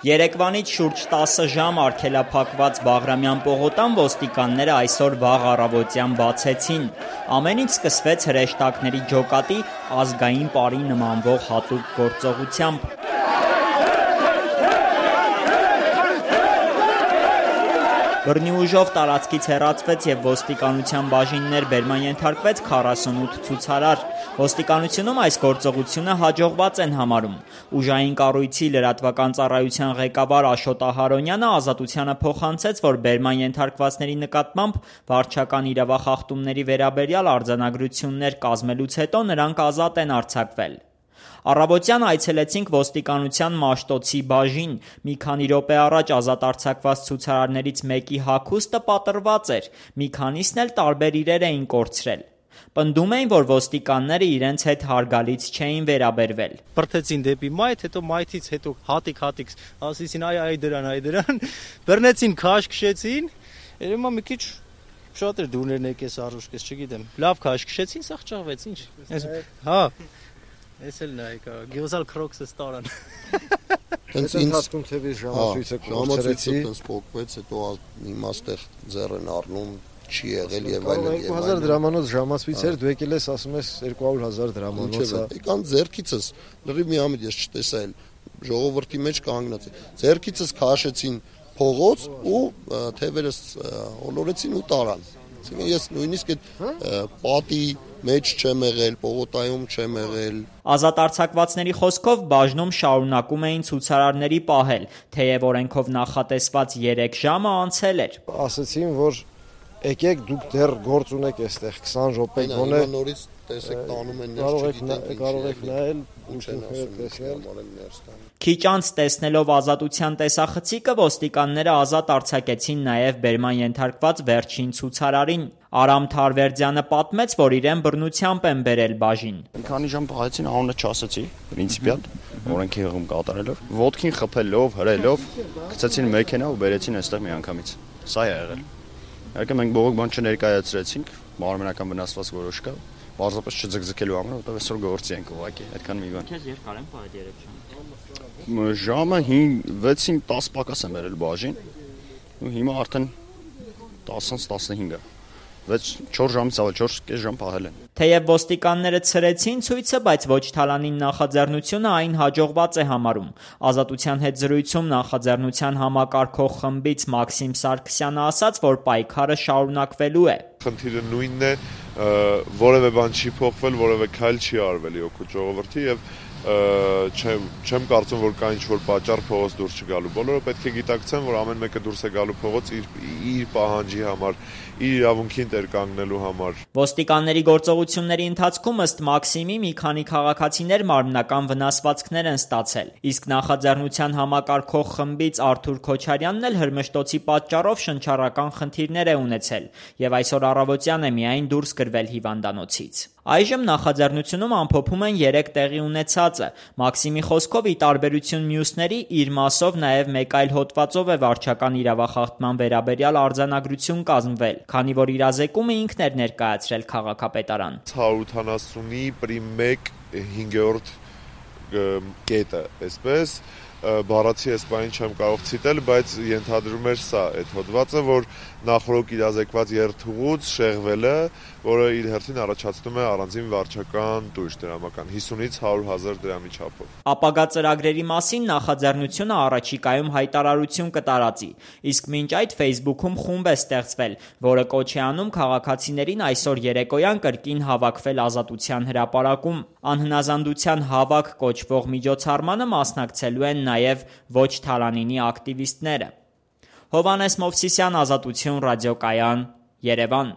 Երեկվանից շուրջ 10 ժամ արգելափակված Բաղրամյան պողոտան ոստիկանները այսօր վաղ առավոտյան բացեցին։ Ամեն ինչ սկսվեց հրեշտակների ջոկատի ազգային պարի նմանվող հատուկ գործողությամբ։ Բռնի ուժով տարածքից հեռացվեց և ոստիկանության բաժիններ բերման ենթարկվեց 48 ցուցարար։ Ոստիկանությունում այս գործողությունը հաջողված են համարում։ Ուժային կառույցի լրատվական ծառայության ղեկավար Աշոտ Ահարոնյանը Ազատությանը փոխանցեց, որ բերման ենթարկվածների նկատմամբ վարչական իրավախախտումների վերաբերյալ արձանագրություններ կազմելուց հետո նրանք ազատ են արձակվել։ Առավոտյան այցելեցինք ոստիկանության Մաշտոցի բաժին։ Մի քանի րոպե առաջ ազատ արձակված ցուցարարներից մեկի հագուստը պատռված էր, մի քանիսն էլ տարբեր իրեր էին կորցրել։ Պնդում էին, որ ոստիկանները իրենց հետ հարգալից չէին վերաբերվել։ Բրդեցին դեպի մայթ, հետո մայթից հետո հատիկ, ասեցին այ դրան, բռնեցին, քաշ քշեցին, երևի մի քիչ շատ էր դուրներն եկես առուշկես, չգիտեմ։ Լավ քաշ քշեցին, սա ճղվեց, ինչ։ Հա։ Ես էլ նայեք, գյուզալ քրոքսը ստարան։ Հենց ինձ թեւի ժամացույցը կորցրեցի, փոկվեց, հետո հիմա ստեղ ձեռն առնում չի եղել եւ այլն։ 2000 դրամանոց ժամացույց էր, դու եկել ես ասում ես 200,000 դրամանոց։ Եկան ձեռքիցս, լրիվ մի ամիտ ես չտեսա էլ ժողովրդի մեջ կանգնած։ Ձեռքիցս քաշեցին փողոց ու թևերս ոլորեցին ու տարան։ Ես նույնիսկ այդ պատի մեջ չեմ եղել, պողոտայում չեմ եղել։ Ազատ արձակվածների խոսքով բաժնում շարունակում էին ցուցարարների պահել, թեև օրենքով նախատեսված 3 ժամը անցել էր։ Ասացին, որ եկեք դուք դեռ գործ ունեք այստեղ 20 րոպե գոնե նորից տեսեք տանում են կարող եք նայել Քիչ անց տեսնելով Ազատության տեսախցիկը ոստիկանները ազատ արձակեցին նաև բերման ենթարկված վերջին ցուցարարին։ Արամ Թարվերդյանը պատմեց, որ իրեն բռնությամբ են բերել բաժին։ Մի քանի ժամ պահեցին, անունը չասեցի, պրինցիպիալ, օրենքի հղում կատարելով, ոտքին խփելով, հրելով, գցեցին մեքենա ու բերեցին այստեղ միանգամից։ Սա է եղել։ Իհարկե մենք բողոք բան չներկայացրեցինք, մարմնական վնասված որոշ կա, պարզապես չձգձգելու համար, որտեղ այսօր գործի ենք ուղղակի, այդքան մի բան։ Քեզ երկար են պահել 3 ժամ։ Ժամը 6-ին 10 պակաս եմ բերել բաժին, ու հիմա արդեն 10-ից 15-ը։ 4 ժամից ավել 4.5 ժամ պահել են։ Թեև ոստիկանները ցրեցին ցույցը, բայց ոչ Թալանին նախաձեռնությունը այն հաջողված է համարում։ Ազատության հետ զրույցում նախաձեռնության համակարգող խմբից Մաքսիմ Սարգսյանը ասաց, որ պայքարը շարունակվելու է։ Խնդիրը նույնն է, որևէ բան չի փոխվել, որևէ քայլ չի արվել օգուտ ժողովրդի եւ չեմ կարծում, որ կա ինչ-որ պատճառ փողոց դուրս չգալու։ Բոլորը պետք է գիտակցեն, որ ամեն մեկը դուրս է գալու փողոց իր պահանջի համար, իր իրավունքին տեր կանգնելու համար։ Ոստիկանների գործողությունների ընթացքում ըստ Մաքսիմի մի քանի քաղաքացիներ մարմնական վնասվածքներ են ստացել, իսկ նախաձեռնության համակարգող խմբից Արթուր Քոչարյանն էլ հրմշտոցի պատճառով շնչառական խնդիրներ է ունեցել եւ այսօր առավոտյան է միայն դուրս գրվել հիվանդանոցից։ Այժմ նախաձեռնությունում ամփոփում են 3 տեղի ունեցածը։ Մաքսիմի խոսքով ի տարբերություն մյուսների իր մասով նաև մեկ այլ հոդվածով է վարչական իրավախախտման վերաբերյալ արձանագրություն կազմվել, քանի որ իրազեկումը ինքն էր ներկայացրել քաղաքապետարան։ 180-ի պրիմ 1 5-րդ կետը, այսպես բառացի այս բանին չեմ կարող ցիտել, բայց ենթադրում էր սա այդ հոդվածը, որ նախորդ իրազեկված երթուղուց շեղվելը, որը իր հերթին առաջացնում է առանձին վարչական տույժ դրամական 50-ից 100,000 դրամի չափով։ Ապագա ծրագրերի մասին նախաձեռնությունը առաջիկայում հայտարարություն կտարածի, իսկ մինչ այդ Facebook-ում խումբ է ստեղծվել, որը կոչ է անում քաղաքացիներին այսօր երեկոյան կրկին հավաքվել Ազատության հրապարակում։ Անհնազանդության հավաք կոչվող միջոցառմանը մասնակցելու են նաև ոչ Թալանինի ակտիվիստները։ Հովհաննես Մովսիսյան, Ազատություն ռադիոկայան, Երևան։